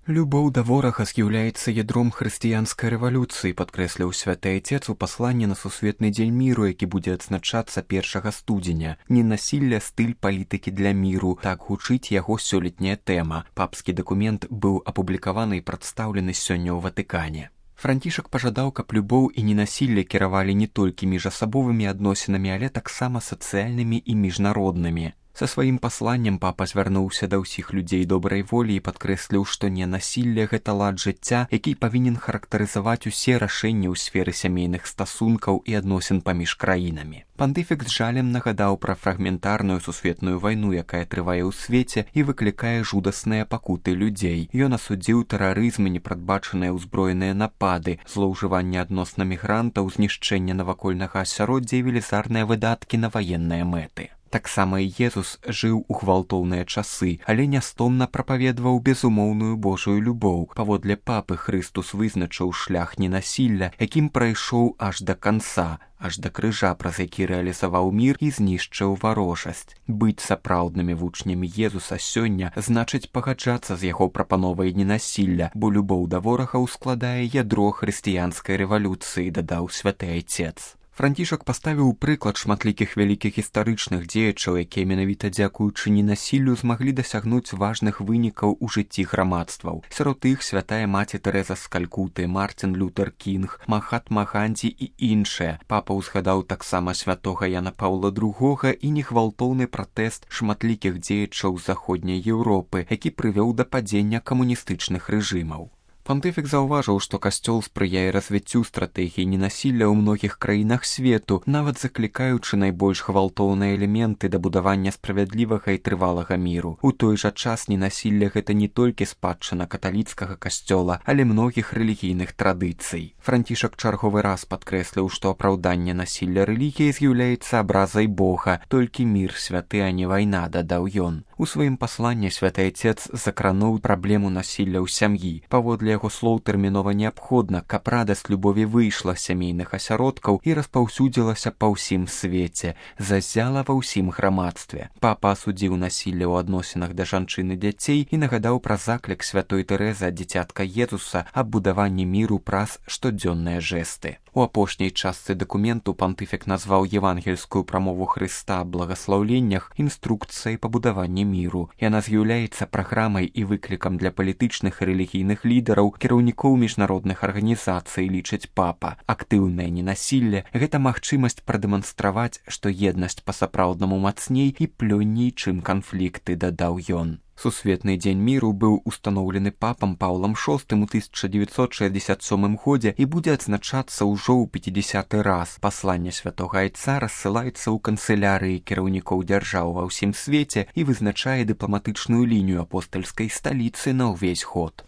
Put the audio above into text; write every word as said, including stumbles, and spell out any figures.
Любоў да ворага з'яўляецца ядром хрысціянскай рэвалюцыі, падкрэсліў святы айцец у пасланні на сусветны дзень міру, які будзе адзначацца першага студзеня. Ненасілля, стыль палітыкі для міру. Так гучыць яго сёлетняя тэма. Папскі дакумент быў апублікаваны і прадстаўлены сёння ў Ватыкане. Францішак пажадаў, каб любоў і ненасілле кіравалі не толькі міжасабовымі адносінамі, але таксама сацыяльнымі і міжнароднымі. Са сваім пасланнем папа звярнуўся да ўсіх людзей добрай волі і падкрэсліў, што ненасілле – гэта лад жыцця, які павінен характарызаваць усе рашэнні ў сферы сямейных стасункаў і адносін паміж краінамі. Пантыфік з жалем нагадаў пра фрагментарную сусветную вайну, якая трывае ў свеце і выклікае жудасныя пакуты людзей. Ён асудзіў тэрарызм і непрадбачаныя ўзброеныя напады, злоўжыванне адносна мігрантаў, знішчэнне навакольнага асяроддзя і велізарныя выдаткі на ваенныя мэты. Таксама і Езус жыў у гвалтоўныя часы, але нястомна прапаведваў безумоўную Божую любоў. Паводле папы Хрыстус вызначыў шлях ненасілля, якім прайшоў аж да канца, аж да крыжа, праз які рэалізаваў мір і знішчыў варожасць. Быць сапраўднымі вучнямі Езуса сёння значыць пагаджацца з яго прапановай ненасілля, бо любоў да ворага ўскладае ядро хрысціянскай рэвалюцыі, дадаў святы айцец. Францішак паставіў прыклад шматлікіх вялікіх гістарычных дзеячаў, якія менавіта дзякуючы ненасіллю змаглі дасягнуць важных вынікаў у жыцці грамадстваў. Сярод іх святая маці Тэрэза з Калькуты, Мартин Лютер Кінг, Махатма Ганді і іншыя. Папа ўзгадаў таксама святога Яна Паўла другога і негвалтоўны пратэст шматлікіх дзеячаў заходняй Еўропы, які прывёў да падзення камуністычных рэжымаў. Пантыфік заўважыў, што касцёл спрыяе развіццю стратэгіі ненасілля ў многіх краінах свету, нават заклікаючы найбольш гвалтоўныя элементы да будавання справядлівага і трывалага міру. У той жа час ненасілля гэта не толькі спадчына каталіцкага касцёла, але многіх рэлігійных традыцый. Францішак чарговы раз падкрэсліў, што апраўданне насілля рэлігіі з'яўляецца абразай Бога, толькі мір святы, а не вайна, дадаў ён. У сваім пасланні святы айцец закрануў праблему насілля ў сям'і. Паводле яго слоў тэрмінова неабходна, каб радасць любові выйшла з сямейных асяродкаў і распаўсюдзілася па ўсім свеце, зазяла ва ўсім грамадстве. Папа асудзіў насілле ў адносінах да жанчын і дзяцей і нагадаў пра заклік святой Тэрэзы ад дзіцятка Езуса аб будаванні міру праз штодзённыя жэсты. У апошняй частцы дакументу пантыфік назваў евангельскую прамову Хрыста аб благаслаўленнях інструкцыяй па будаванні міру. Яна з'яўляецца праграмай і выклікам для палітычных і рэлігійных лідараў, кіраўнікоў міжнародных арганізацый, лічыць папа. Актыўнае ненасілле – гэта магчымасць прадэманстраваць, што еднасць па-сапраўднаму мацней і плённей, чым канфлікты, дадаў ён. Сусветны дзень міру быў устаноўлены папам Паўлам шостым у тысяча дзевяцьсот шэсцьдзесят сёмым годзе і будзе адзначацца ўжо ў пяцідзясяты раз. Пасланне святога айца рассылаецца ў канцылярыі кіраўнікоў дзяржаў ва ўсім свеце і вызначае дыпламатычную лінію апостальскай сталіцы на ўвесь год.